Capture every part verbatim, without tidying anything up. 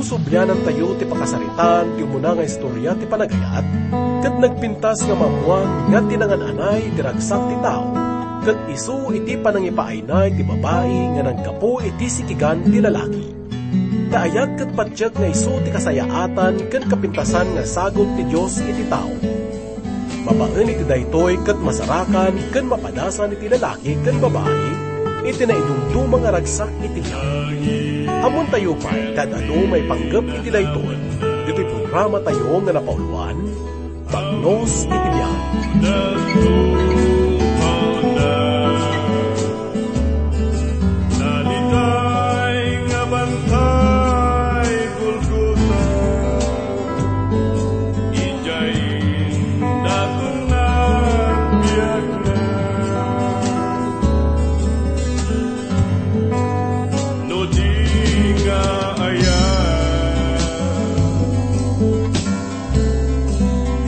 Sublianantayo ti pakasaritaan ti umuna nga istoria ti panagayat, ket nagpintas nga maammoan nga ti nangan-anay ti ragsak ti tao, ket isu iti panangipaayna iti babai nga naggapu iti sikigan ti lalaki. Ta ayat ket patiek nga isu ti kasayaatan ken kapintasan nga sagut ti Dios iti tao. Babaen iti daytoy ket masarakan ken mapadasan iti lalaki ken babai iti naidumduma nga ragsak iti biag. Ammontayo pay ti ad-adu maipanggep iti daytoy iti programatayo nga napauloan, Bagnos iti Biag. Nalitay nga bantay Golgota, idiay natungna biagna. No di nga aya,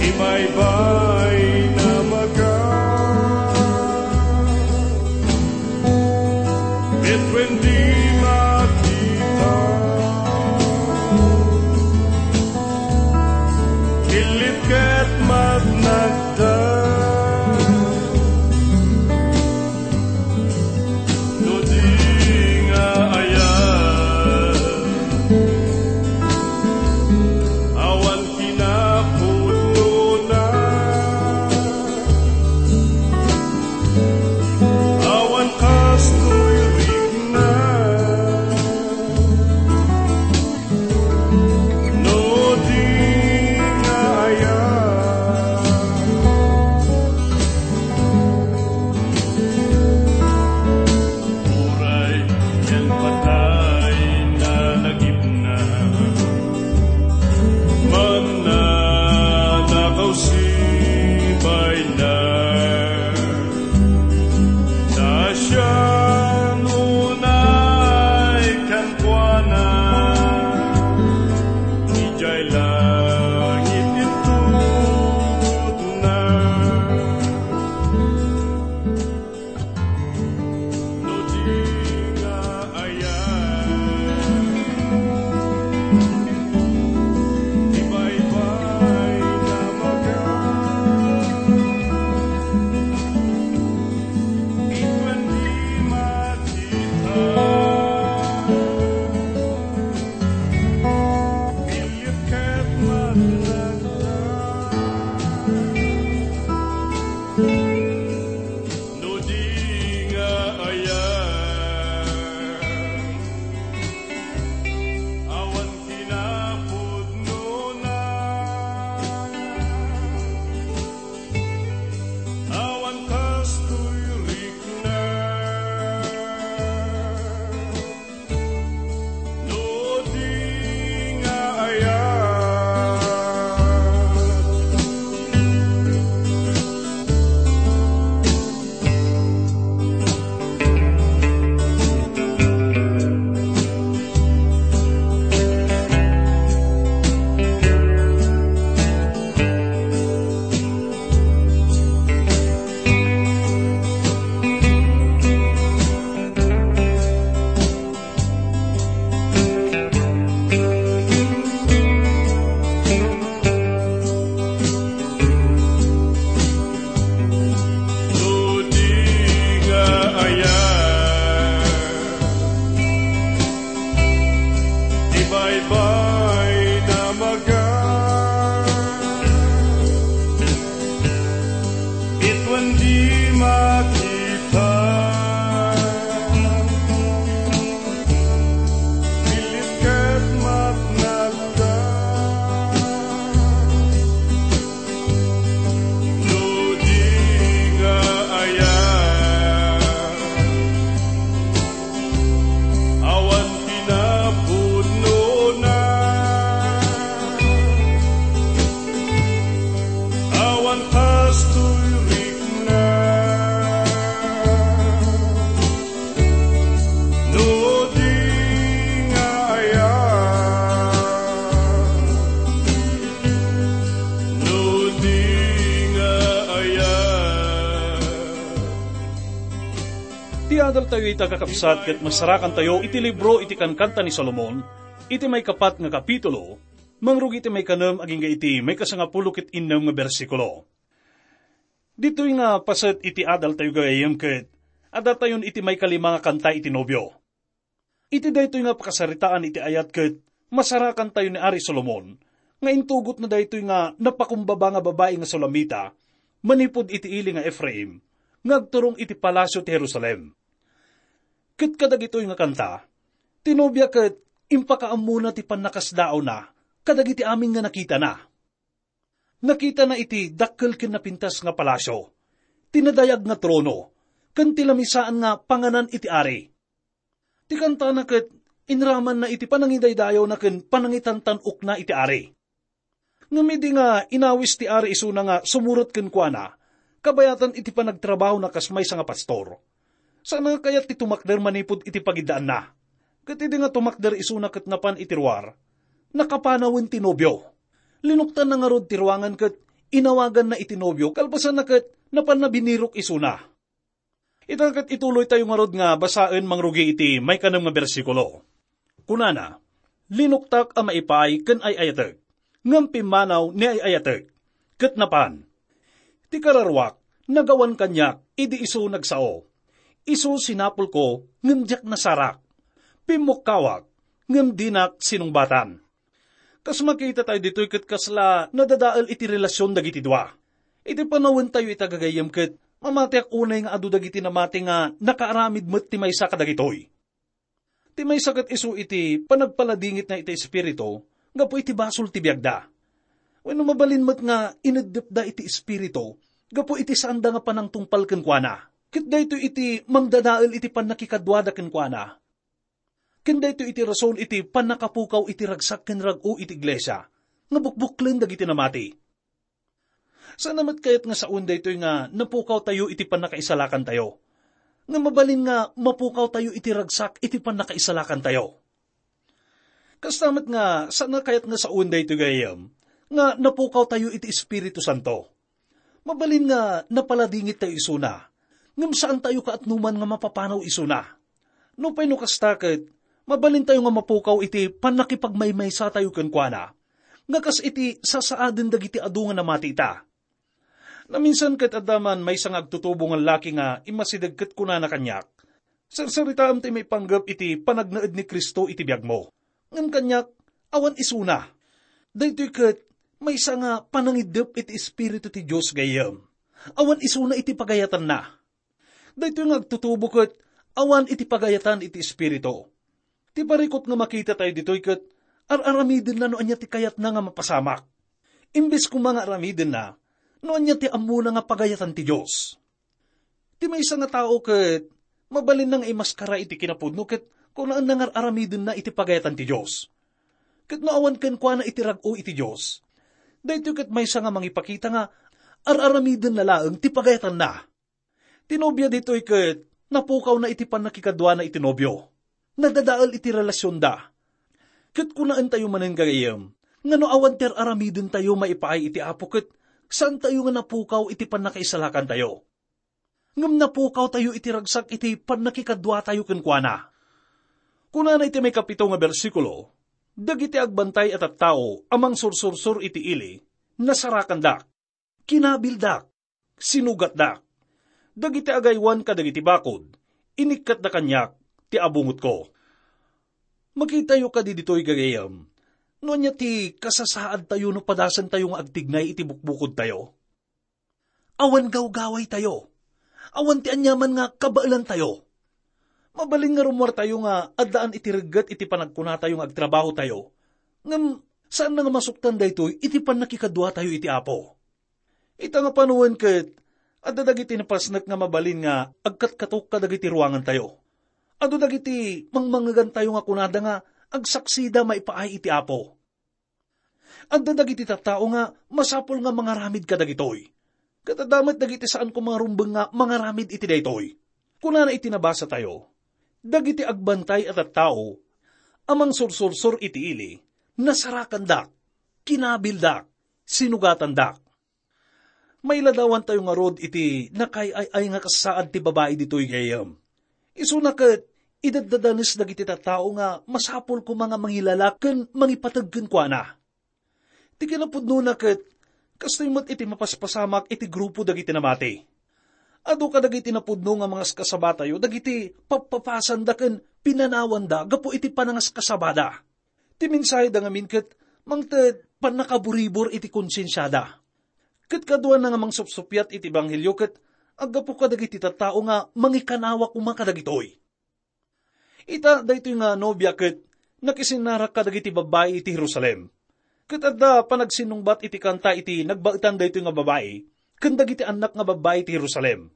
ibaybay na maga, bituen di makita, ilit ket matnagda. No di nga aya, awan kinapudnona, awan kastoy rikna. No di nga aya, uray ken patay na nagipna, mannanakaw sibayna. Ta sian unay kenkuana, idiay langit intudna. No di nga aya, ibaybay na maga, bituen di makita, ilit ket matnagda. No di nga aya, awan kinapudnona, awan kastoy rikna. No di nga aya. No di nga aya, ibaybay na maga, bituen di makita, ilit ket matnagda. No di nga aya, awan kinapudnona, awan kastoy rikna. No di nga aya, no di nga aya. Ti adaltayo ita, kakabsat, ket masarakantayo iti libro iti Kankanta ni Solomon, Iti maikapat nga kapitulo, mangrugi iti maikanem agingga iti maikasangapulo ket innem nga bersikulo. Ditoy nga paset iti adaltayo gagayyem ket adatayon iti maikalima nga kanta iti nobio. Iti daytoy nga pakasaritaan iti ayat ket masarakantayo ni Ari Solomon nga intugotna daytoy nga napakumbaba nga babai nga Sulamita manipud iti ili nga Efraim nga agturong iti palasio ti Jerusalem. Ket kadagitoy nga kanta, ti nobia ket impakaammona ti pannakasdaawna kadagiti amin nga nakitana. Nakitana iti dakkel ken napintas nga palasio, ti nadayag nga trono, ken ti lamisaan nga panganan iti ari. Ti kantana ket inramanna iti panangidaydayawna ken panangitantan-okna iti ari. Ngem idi nga inawis ti ari isuna nga sumurot kenkuana, kabayatan iti panagtrabahona kas maysa nga pastor, saan nga kayat ti tumakder manipud iti pagiddaanna. Ket idi nga tumakder isuna ket napan iti ruar, nakapanawen ti nobio. Linuktanna ngarud ti ruangan ket inawaganna iti nobio, kalpasanna ket napanna binirok isuna. Ita ket ituloytayo ngarud nga basaen mangrugi iti maikanem nga bersikulo. Kunana, "Linuktak a maipaay ken ay-ayatek, ngem pimmanaw ni ay-ayatek, ket napan. Ti kararuak, nagawan kaniak idi isu nagsao. Isu sinapulko, ngem diak nasarak. Pimmukkawak, ngem dinak sinungbatan." Kas makita tayo ditoy ket kasla nadadael iti relasyon dagiti dua. Iti panawentayo ita gagayyem ket mamatiak unay nga adu dagiti namati nga nakaaramid met ti maysa kadagitoy. Ti maysa ket isu iti panagpaladingitna iti Espiritu gapu iti basol ti biagda. Wenno mabalin met nga ineddepda iti Espiritu gapu iti saanda nga panangtungpal kenkuana. Ket daytoy iti mangdadael iti pannakikaduada kenkuana. Ken daytoy iti rason iti pannakapukaw iti ragsak ken rag-o iti iglesia nga bukbuklen dagiti namati. Saan a met kayat nga sawen daytoy nga napukawtayo iti pannakaisalakantayo. Nga mabalin nga mapukawtayo iti ragsak iti pannakaisalakantayo. Kasta met nga saan a kayat nga sawen daytoy gayam nga napukawtayo iti Espiritu Santo. Mabalin nga napaladingit tayo isuna, ngem saan tayo kaatnuman nga mapapanaw isuna. Nupay no kasta ket, mabalin tayo nga mapukaw iti pannakipagmaymaysa tayo kenkuana, nga kas iti sasaaden dagiti adu nga namati ita. Naminsan ket adda man maysa nga agtutubo nga laki nga immasideg ket kunana kaniak, "Sarsaritaem ti maipanggep iti panagnaed ni Cristo iti biagmo." Ngem kaniak, awan isuna. Daytoy ket maysa nga panangiddep iti Espiritu ti Dios gayyem. Awan isuna iti pagayatanna. Daytoy nga agtutubo ket awan iti pagayatan iti Espiritu. Ti parikut nga makita tayo ditoy ket ar-aramidenna no ania ti kayatna nga mapasamak. Imbes koma nga aramidenna, no ania ti ammona nga pagayatan ti Dios. Ti maysa nga tao ket mabalinna nga imaskara iti kinapudno ket kunaenna nga ar-aramidenna iti pagayatan ti Dios. Ket no awan kenkuana iti rag-o iti Dios, daytoy ket maysa nga mangipakita nga ar-aramidenna laeng ti pagayatanna. Ti nobia ditoy ket napukawna iti pannakikaduana iti nobio. Nadadael iti relasionda. Ket kunaentayo manen gagayyem nga no awan ti ar-aramidentayo maipaay iti Apo ket saantayo nga napukaw iti pannakaisalakantayo. Ngem napukawtayo iti ragsak iti pannakikaduatayo kenkuana. Kunana iti maikapito nga bersikulo, "Dagiti agbantay a tattao a mangsursursor iti ili, nasarakandak, kinabildak, sinugatdak. Dagiti agaywan kadagiti bakod, inikkatda kaniak ti abungotko." Makitayo kadi ditoy gagayyem, no ania ti kasasaadtayo no padasantayo nga agtignay iti bukbukodtayo. Awan gawgawaytayo. Awan ti aniaman nga kabaelantayo. Mabalin nga rummuartayo nga addaan iti regget iti panagkunatayo nga agtrabahotayo. Ngem saan nga masuktan daytoy iti pannakikaduatayo iti Apo. Ita nga panawen ket, adda dagiti napasnek nga mabalin nga agkatkatok kadagiti ruangantayo. Adu dagiti mangmangegantayo nga kunada nga agsaksida maipaay iti Apo. Adda dagiti tattao nga masapul nga mangaramid kadagitoy. Ket adda met dagiti saan koma nga rumbeng nga mangaramid iti daytoy. Kunana iti nabasatayo, "Dagiti agbantay a tattao a mangsursursor iti ili, nasarakandak, kinabildak, sinugatandak." Mailadawantayo ngarud iti nakaay-ay nga kasaad ti babai ditoy gayam. Isuna ket Idaddadanes dagiti tattao nga masapul koma nga mangilalak ken mangipateg kenkuana. Ti kinapudnona ket, kastoy met iti mapaspasamak iti grupo dagiti namati. Adu kadagiti napudno nga mangaskasabatayo dagiti pappapasanda ken pinanawanda gapu iti panangaskasabada. Ti mensaheda ngamin ket mangted pannakaburibor iti konsiensiada. Ket kaduana nga mangsupsuppiat iti ebanghelio ket aggapu kadagiti tattao nga mangikanawa koma kadagitoy. Ita, daytoy nga nobia ket nakisinnarak kadagiti babbai iti Jerusalem. Ket adda panagsinnungbat iti kanta iti nagbaetan daytoy nga babai ken dagiti annak nga babbai iti Jerusalem.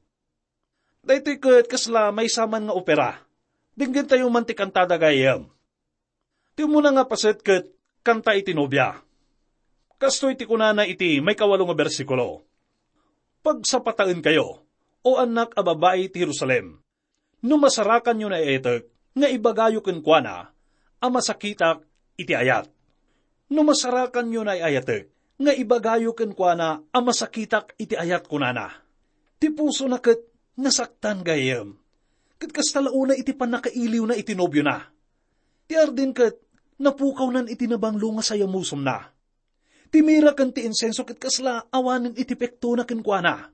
Daytoy ket kasla maysa man nga opera. Denggentayo man ti kantada, gayyem. Ti umuna nga paset ket kanta iti nobia. Kastoy ti kunana iti maikawalo nga bersikulo, "Pagsapataenkayo, O annak a babbai ti Jerusalem, no masarakanyo naiayatek nga ibagayo kenkuana a masakitak iti ayat. No masarakanyo naiayatek nga ibagayo kenkuana a masakitak iti ayat," kunana. Ti pusona ket nasaktan, gayyem. Ket kasta la unay iti pannakailiwna iti nobiona. Ti Arden ket napukawnan iti nabanglo nga sayamusomna. Ti mira ken ti insenso ket kasla awanen iti pektona kenkuana.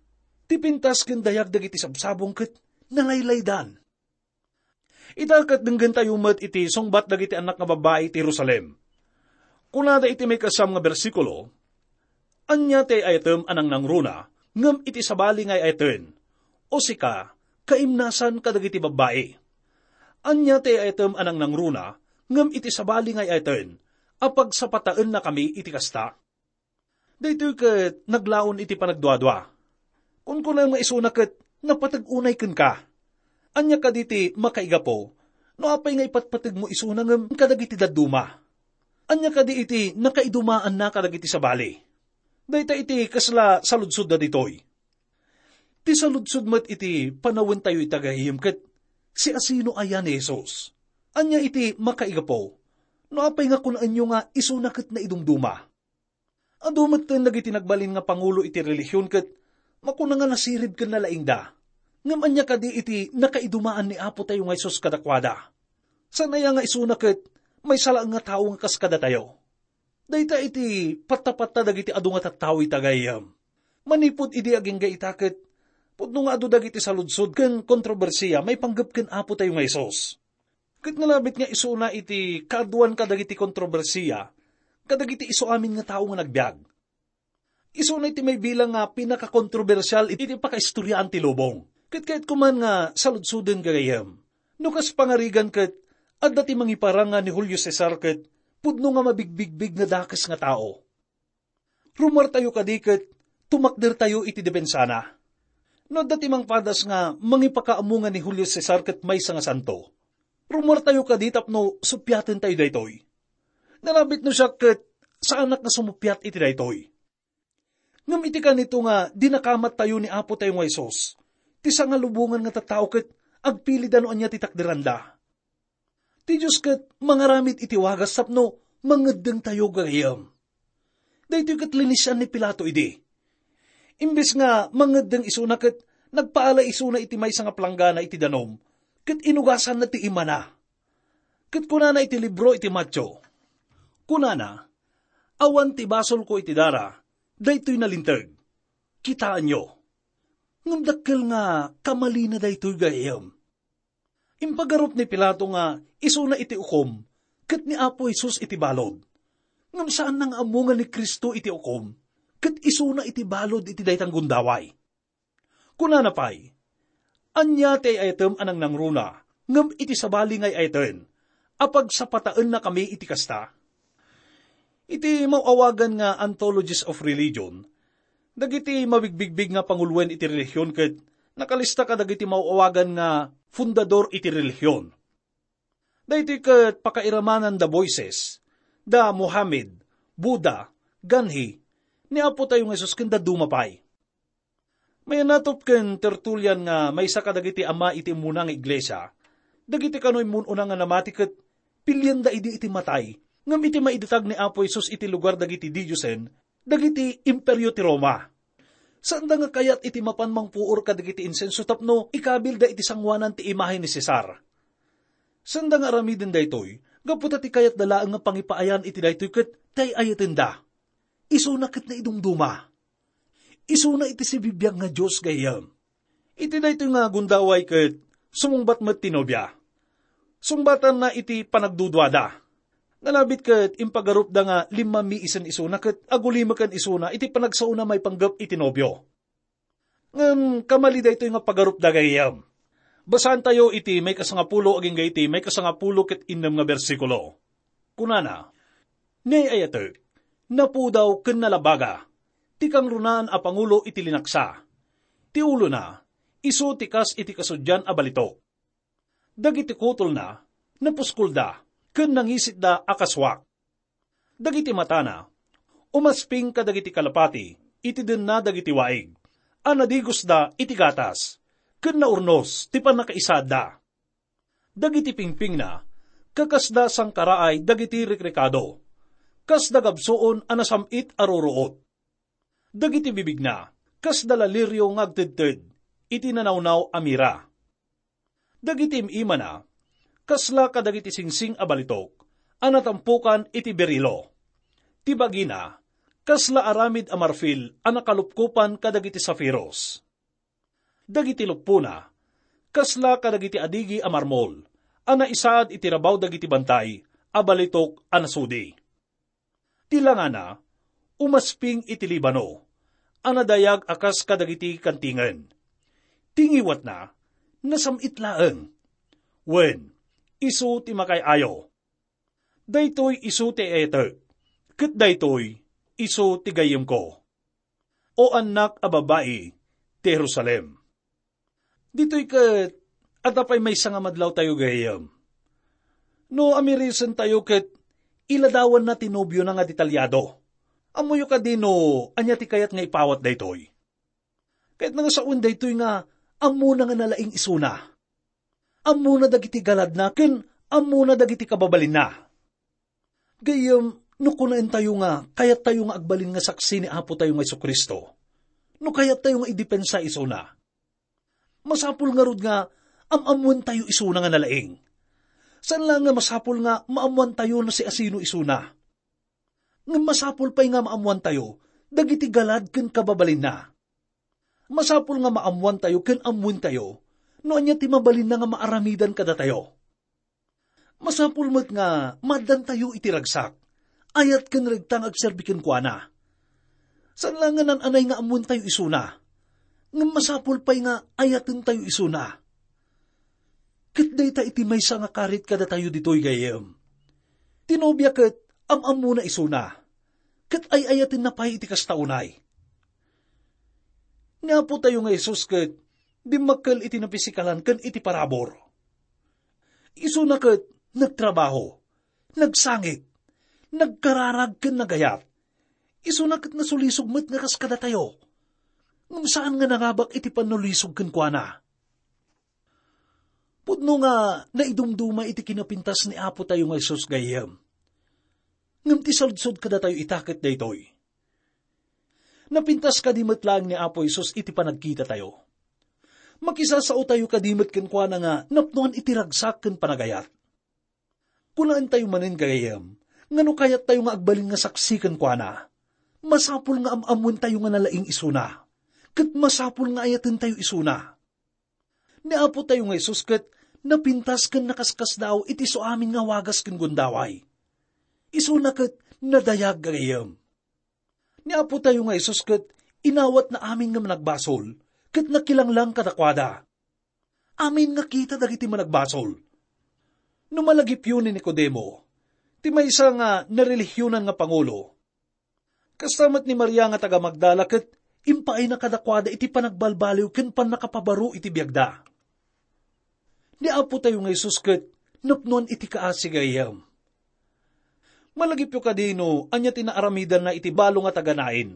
Ti pintas ken dayag dagiti sabsabong ket nalaylaydan. Ita ket denggentayo met iti sungbat dagiti annak nga babbai iti Jerusalem. Kunada iti maikasam nga bersikulo, "Ania ti ay-ayatem a nangnangruna ngem iti sabali nga ay-ayaten? O sika, kaimnasan kadagiti babbai. Ania ti ay-ayatem a nangnangruna ngem iti sabali nga ay-ayaten a pagsapataennakami iti kasta?" Daytoy ket naglaon iti panagduadua. Kunkunam nga isuna ket napateg unay kenka. Ania kadi ti makaigapu no apay nga ipatpategmo isuna ngem kadagiti dadduma? Ania kadi iti nakaidumaanna kadagiti sabali? Dayta iti kasla saludsodda ditoy. Ti saludsod met iti panawentayo ita, gayyem, ket siasino aya ni Jesus? Ania iti makaigapu no apay nga kunaenyo nga isuna ket naidumduma? Adu metten dagiti nagbalin nga pangulo iti relihion ket makuna nga nasirib ken nalaingda. Ngem ania kadi iti nakaidumaan ni Apotayo nga Jesus kadakuada? Saan aya nga isuna ket maysa laeng nga tao nga kas kadatayo? Dayta iti pattapatta dagiti adu nga tattao ita, gayyem. Manipud idi agingga ita ket pudno nga adu dagiti saludsod ken kontrobersia maipanggep ken Apotayo nga Jesus. Ket nalabit nga isuna iti kaaduan kadagiti kontrobersia kadagiti isu amin nga tao nga nagbiag. Isuna iti maibilang nga pinakakontrobersial iti pakaistoriaan ti lubong. Ket kayatko man nga saludsoden, gagayyem, no kas pangarigan ket adda ti mangiparang nga ni Julio Cesar ket pudno nga mabigbigbig nga dakes nga tao. Rumuartayo kadi ket tumakdertayo iti depensana? No adda ti mangpadas nga mangipakaammo nga ni Julio Cesar ket maysa nga santo, rumuartayo kadi tapno suppiatentayo daytoy? Nalabit no siak ket saanak nga sumuppiat iti daytoy. Ngem iti kanito nga dinakamattayo ni Apotayo nga Jesus, ti sangalubongan nga tattao ket agpilida no ania ti takderanda. Ti Dios ket mangaramid iti wagas tapno mangeddengtayo, gagayyem. Daytoy ket linisian ni Pilato idi. Imbes nga mangeddeng isuna ket nagpaala isuna iti maysa nga planggana iti danum ket inugasanna ti imana. Ket kunana iti libro iti Mateo, kunana, "Awan ti basolko iti dara, daytoy nalinteg. Kitaenyo." Ngem dakkel nga kamalina daytoy, gagayyem. Impagarup ni Pilato nga isuna iti ukom ket ni Apo Jesus iti balud. Ngem saanna nga ammo nga ni Cristo iti ukom ket isuna iti balud iti dayta nga gundaway. Kunana pay, "Ania ti ay-ayatem a nangnangruna ngem iti sabali nga ay-ayaten a pagsapataennakami iti kasta?" Iti maaw-awagan nga Anthologies of Religion, dagiti mabigbigbig nga panguloen iti relihion ket nakalista kadagiti maaw-awagan nga fundador iti relihion. Daytoy ket pakairamananda Moises, da Mohammed, Buddha, Gandhi, ni Apotayo nga Jesus ken dadduma pay. Mayanatop ken Tertulian nga maysa kadagiti ama iti immuna nga iglesia, dagiti kano immun-una nga namati ket pilianda idi iti matay, ngem iti maidatag ni Apo Jesus iti lugar dagiti didiosen, dagiti imperio ti Roma. Saanda nga kayat iti mapan mangpuor kadagiti insenso tapno ikabilda iti sangoanan ti imahe ni Cesar. Saanda nga aramiden daytoy, gapu ta ti kayatda laeng nga pangipaayan iti daytoy ket tay-ayatenda. Isuna ket naidumduma. Isuna iti sibibiag nga Dios, gayyem. Iti daytoy nga gundaway ket sumungbat met ti nobia. Sungbatanna iti panagduduada. Nalabit ket impagarupda nga limmammi isen isuna ket agulimeken isuna iti panagsaona maipanggep iti nobio. Ngem kamali daytoy nga pagarup dagayam. Basaantayo iti maikasangapulo agingga iti maikasangapulo ket innem nga bersikulo. Kunana, "Ni ay-ayatek, napudaw ken nalabaga, ti kangrunaan a pangulo iti linaksa. Ti ulona, isu ti kas iti kasudian a balitok. Dagiti kutolna, napuskolda, ken nangisitda a kasuak. Dagiti matana, umasping kadagiti kalapati iti denna dagiti waig a nadigosda iti gatas, ken naurnos ti pannakaisaadda. Dagiti pingpingna, kakasda sangkaraay dagiti rikrikado, kasda gabsuon a nasam-it a ruruot. Dagiti bibigna, kasda lalirio nga agtedted iti nanawnaw a mira. Dagiti im-imana, kasla kadagiti singsing a balitok a natampukan iti berilo. Ti bagina, kasla aramid a marfil a nakalupkopan kadagiti safiros. Dagiti luppona, kasla kadagiti adigi a marmol a naisaad iti rabaw dagiti bantay a balitok a nasudi. Ti langana, umasping iti Libano, a nadayag a kas kadagiti kantingen. Ti ngiwatna, nasam-it laeng. Wen, isu ti makay-ayo. Daytoy isu ti etek, ket daytoy isu ti gayyemko. O annak a babai ti Jerusalem." Ditoy ket, adda pay maysa nga madlawtayo gayyem. No amirisentayo ket iladawanna ti nobiona nga detalyado. Ammoyo kadi no ania ti kayat nga ipawat daytoy? Kayatna nga sawen daytoy nga ammona nga nalaing isuna. Ammona dagiti galadna ken ammona dagiti kababalinna. Gayyem, no kunaentayo nga kayattayo nga agbalin nga saksi ni Apo tayo nga Jesu-Cristo, no kayattayo nga idepensa isuna, masapul ngarud nga am-ammoentayo isuna nga nalaing. Saan laeng nga masapul nga maammoantayo no siasino isuna. Ngem masapul pay nga maammoantayo dagiti galad ken kababalinna. Masapul nga maammoantayo ken ammoentayo no ania ti mabalinna nga maaramidan kadatayo. Masapul met nga maaddantayo iti ragsak, ayat ken regta nga agserbi kenkuana. Saan laeng nga naan-anay nga ammoentayo isuna, ngem masapul pay nga ayatentayo isuna. Ket dayta iti maysa nga karit kadatayo ditoy gayyem. Ti nobia ket am-ammona isuna, ket ay-ayatenna pay iti kasta unay. Ni Apo tayo nga Jesus ket dimmakkel iti napisikalan ken iti parabur. Isuna ket nagtrabaho, nagsangit, nagkararag ken nagayat. Isuna ket nasulisog met nga kas kadatayo. Ngem saan nga nangabak iti pannulisog kenkuana. Pudno nga naidumduma iti kinapintas ni Apo tayo nga Jesus gayyem. Ngem ti saludsod kadatayo ita ket daytoy: napintas kadi met laeng ni Apo Jesus iti panagkitatayo? Makisasaotayo kadi met kenkuana nga napnoan iti ragsak ken panagayat? Kunaentayo manen, gayyem, nga no kayattayo nga agbalin nga saksi kenkuana, masapul nga am-ammoentayo nga nalaing isuna, ket masapul nga ayatentayo isuna. Ni Apo tayo nga Jesus ket napintas ken nakaskasdaaw iti isu amin nga wagas ken gundaway. Isuna ket nadayag, gayyem. Ni Apo tayo nga Jesus ket inawatna amin nga managbasol ket nakilanglang kadakuada. Amin nga kita dagiti managbasol. No malagipyo ni Nicodemo, ti maysa nga narelihionan nga pangulo, kasta met ni Maria nga taga-Magdala ket impaayna kadakuada iti panagbalbaliw ken pannakapabaro iti biagda. Ni Apo tayo nga Jesus ket napnoan iti kaasi, gayyem. Malagipyo kadi no ania ti naaramidanna iti balo nga taga-Nain,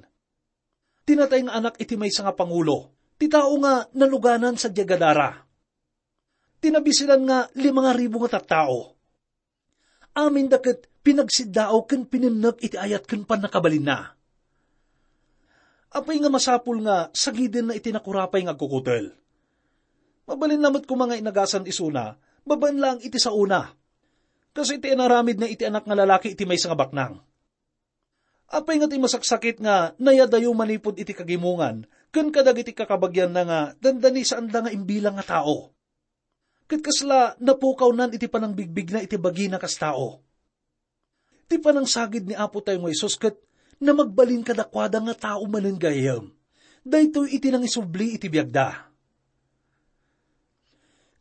ti natay nga anak iti maysa nga pangulo, ti tao nga naluganan sadiay Gadara. Ti nabisilan nga lima nga ribu nga tattao. Aminda ket pinagsiddaaw ken pinennek iti ayat ken pannakabalinna. Apay nga masapul nga sagidenna iti nakurapay nga agkukutel? Mabalinna met koma nga inagasan isuna babaen laeng iti saona, kas iti inaramidna iti anak nga lalaki iti maysa nga baknang. Apay nga ti masaksakit nga nayadayo manipud iti kagimongan ken kadagiti kakabagianna nga dandani saanda nga imbilang nga tao? Ket kasla napukawnan iti panangbigbigna iti bagina kas tao. Ti panangsagid ni Apo tayo nga Jesus ket namagbalin kadakuada nga tao manen gayam. Daytoy iti nangisubli iti biagda.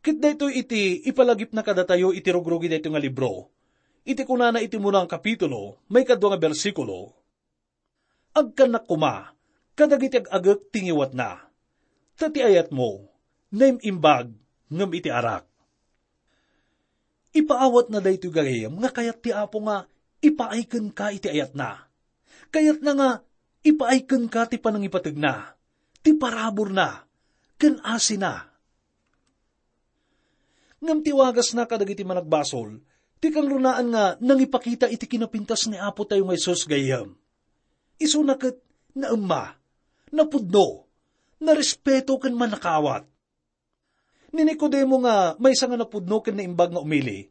Ket daytoy iti ipalagipna kadatayo iti rugrugi daytoy nga libro. Iti kunana iti muna nga kapitulo, maikadua nga bersikulo, "Agkannak koma kadagiti ag-agek ti ngiwatna, ta ti ayatmo, naim-imbag ngem iti arak." Ipaawatna daytoy gagayyem nga kayat ti Apo nga ipaay kenka iti ayatna. Kayatna nga ipaay kenka ti panangipategna, ti paraburna, ken asina. Ngem ti wagasna kadagiti managbasol, ti kangrunaan nga nangipakita iti kinapintas ni Apo tayo nga Jesus gayyem. Isuna ket naemma, napudno, narespeto ken mannakaawat. Ni Nicodemo nga maysa nga napudno ken naimbag nga umili,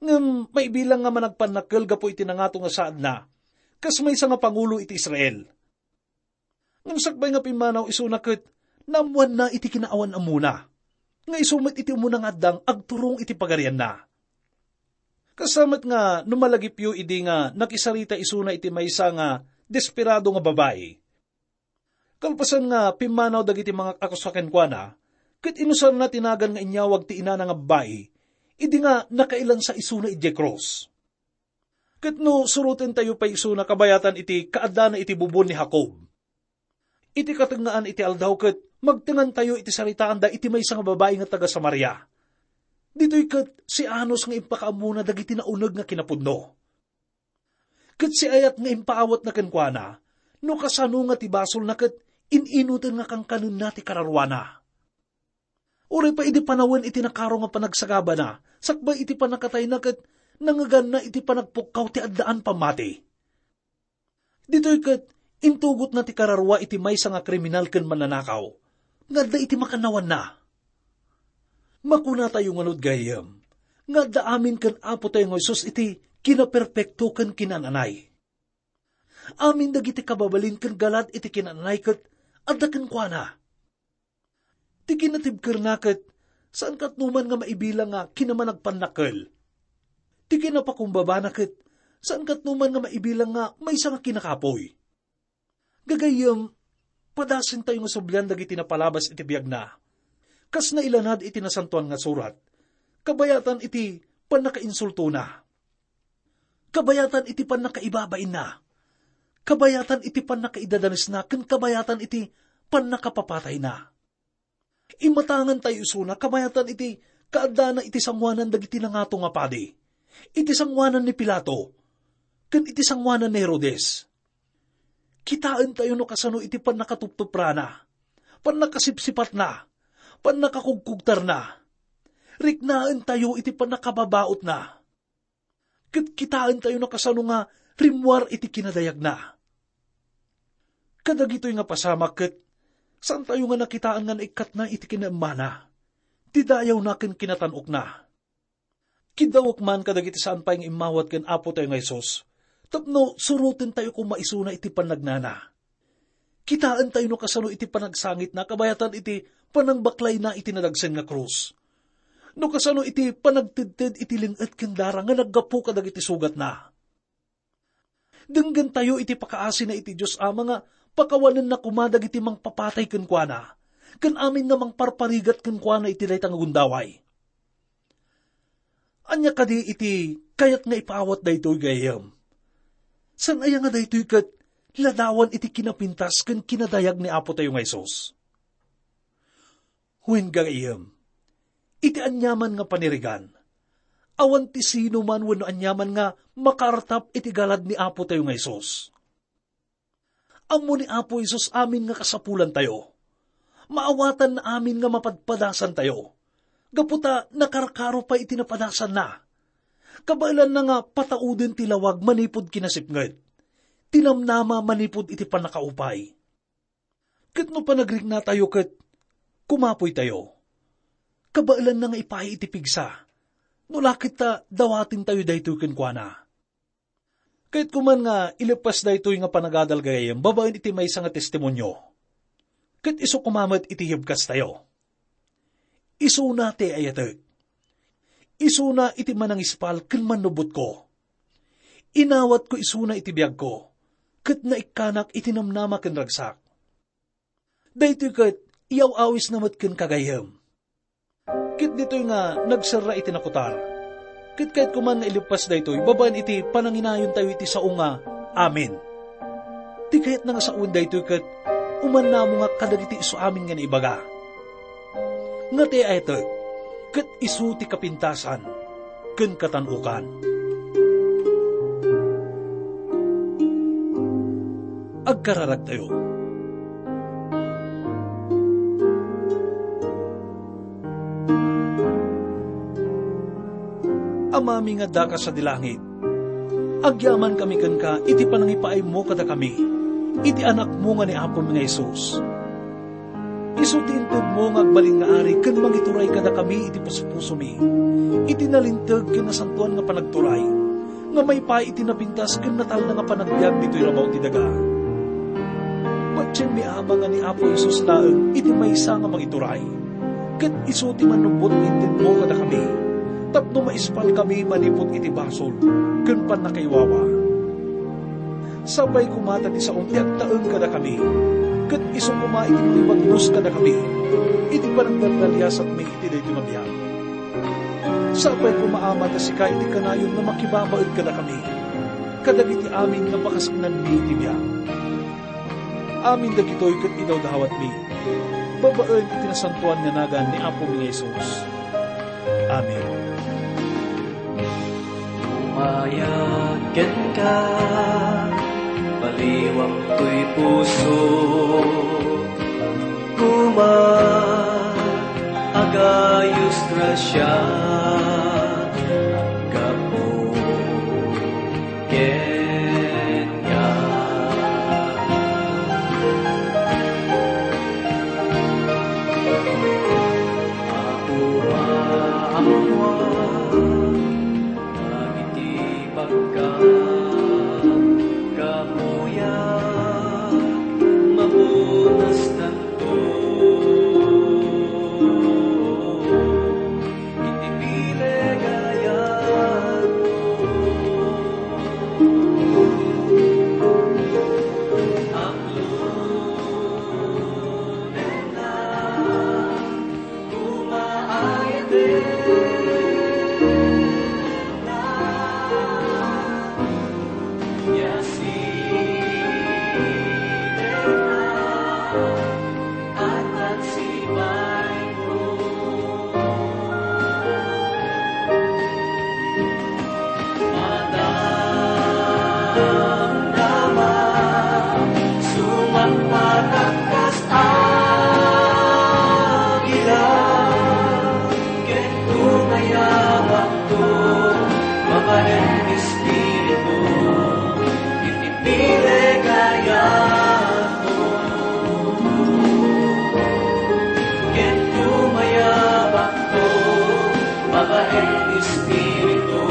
ngem maibilang nga managpannakkel gapu iti nangato nga saadna, kas maysa nga pangulo iti Israel. Ngem sakbay nga pimmanaw isuna ket naammoanna iti kinaawan-ammona, nga isu met iti umuna nga addang agturong iti pagarianna. Kasta met nga no malagipyo idi nga nakisarita isuna iti maysa nga desperado nga babai. Kalpasan nga pimmanaw dagiti mangak-akusa kenkuana, ket inusarna ti nagan nga inyawag ti inana nga babai, idi nga nakailansa isuna idiay krus. Ket no surotentayo pay isuna kabayatan iti kaaddana iti bubon ni Jacob, iti katengngaan iti aldaw ket magtengantayo iti saritaanda iti maysa nga babai nga taga-Samaria. Ditoy ket sianos nga impakaammona dagiti nauneg nga kinapudno. Ket siayat nga impaawatna kenkuana, no kasano nga ti basolna ket in-inuten nga kankanenna ti kararuana. Uray pay idi panawen iti nakaro nga panagsagabana, sakbay iti pannakatayna ket nangngeganna iti panagpukkaw ti addaan pammati. Ditoy ket intugotna ti kararua iti maysa nga kriminal ken mannanakaw nga adda iti makannawanna. Makunatayo ngarud gayyem nga adda amin ken Apo tayo nga Jesus iti kinaperpekto ken kinananay. Amin dagiti kababalin ken galad iti kinananay ket adda kenkuana. Ti kinatibkerna ket saan katnoman nga maibilang nga kinamanagpannakkel. Ti kinapakumbabana ket saan katnoman nga maibilang nga maysa nga kinakapoy. Gagayyem, padasentayo nga sublian dagiti napalabas iti biagna. Kas nailanad iti Nasantoan nga Surat, kabayatan iti pannakainsultona, kabayatan iti pannakaibabainna, kabayatan iti pannakaidadanesna, ken kabayatan iti pannakapapatayna. Imatangan tayo isuna kabayatan iti kaaddana iti sangoanan dagiti nangato nga padi, iti sangoanan ni Pilato, ken iti sangoanan ni Herodes. Kitaentayo no kasano iti pannakatuptuprana, pannakasipsipatna, pannakakugkugtarna. Riknaentayo iti pannakababautna. Ket kitaentayo no kasano nga rimmuar iti kinadayagna. Kadagitoy nga pasamak ket saantayo nga nakitaan nga naikkatna iti kinaemmana, ti dayawna ken kinatan-okna. Kiddawek man kadagiti saan pay nga immawat ken Apo tayo nga Jesus tapno surotentayo koma isuna iti pannagnana. Kitaentayo no kasano iti panagsangitna kabayatan iti panangbaklayna iti nadagsen nga krus. No kasano iti panagtedted iti leng-et ken dara nga naggapu kadagiti sugatna. Denggentayo iti pakaasina iti Dios Ama nga pakawanenna koma dagiti mangpapatay kenkuana, ken amin nga mangparparigat kenkuana iti dayta nga gundaway. Ania kadi iti kayat nga ipaawat daytoy gayyem? Saan aya nga daytoy ket ladawan iti kinapintas ken kinadayag ni Apo tayo nga Jesus? Wen gayyem, iti aniaman nga panirigan, awan ti sino man wenno aniaman nga makaartap iti galad ni Apo tayo nga Jesus. Ammo ni Apo Jesus amin nga kasapulantayo. Maawatanna amin nga mapadpadasantayo. Gapu ta nakarkaro pay iti napadasanna. Kabaelanna nga patauden ti lawag manipud kinasipnget, ti namnama manipud iti pannakaupay. Ket no panagriknatayo ket kumapoytayo, kabaelanna nga ipaay iti pigsa, tapno la ket ta dawatentayo daytoy kenkuana. Kayatko man nga ileppas daytoy nga panagadal gagayyem babaen iti maysa nga testimonio. Ket isu koma met iti hibkastayo. Isuna ti ayatek. Isuna iti manangispal ken mannubbotko. Inawatko isuna iti biagko, ket naikkanak iti namnama ken ragsak. Daytoy ket iyaw-awisna met ken kagayyem. Ket ditoy nga nagserra iti nakutar. Ket kayatko man nga ileppas daytoy babaen iti pananginayontayo iti sao nga amin. Ti kayatna nga sawen daytoy ket umannamongak kadagiti isu amin nga naibaga. Nga ti ayatek ket isu ti kapintasan ken katan-okan. Agkararagtayo. Amami nga addaka sadi langit, agyamankami kenka iti panangipaaymo kadakami iti Anakmo nga ni Apomi nga Jesus. Isu ti intedmo nga agbalin nga Ari ken mangituray kadakami iti puspusomi, iti nalinteg ken nasantoan nga panagturay, nga maipaay iti napintas ken natalna nga panagbiag ditoy rabaw ti daga. Patienmi, Ama, nga ni Apo Jesus laeng iti maysa nga mangituray, ket isu ti mannubbot nga intedmo kadakami, tapno maispalkami manipud iti basol ken pannakaiwawa. Sapay koma ta ti saom ti agtaeng kadakami, ket isu koma iti mangibagnos kadakami iti panagdaldaliasatmi iti daytoy nga biag. Sapay koma, Ama, ta sika iti kanayon nga makibabaen kadakami, kadagiti amin nga pakasaknanmi iti biag. Amin dagitoy ket idawdawatmi babaen iti nasantoan nga nagan ni Apomi nga Jesus. Amen. Umayag kenka, baliwak toy puso, koma, agayos grasia, gapu kenka. Apo, ammoan dagiti pagkaam, kapuyak, mapunas tanto. Iti pilegayatko, aklonenna, kumaayatna, ya sidenna, at agsibayko. Madamdama, sumangpet kas agila, ket kumayabakto, babaen Espiritu, iti pilegayatko. Ket kumayabakto, babaen Espiritu,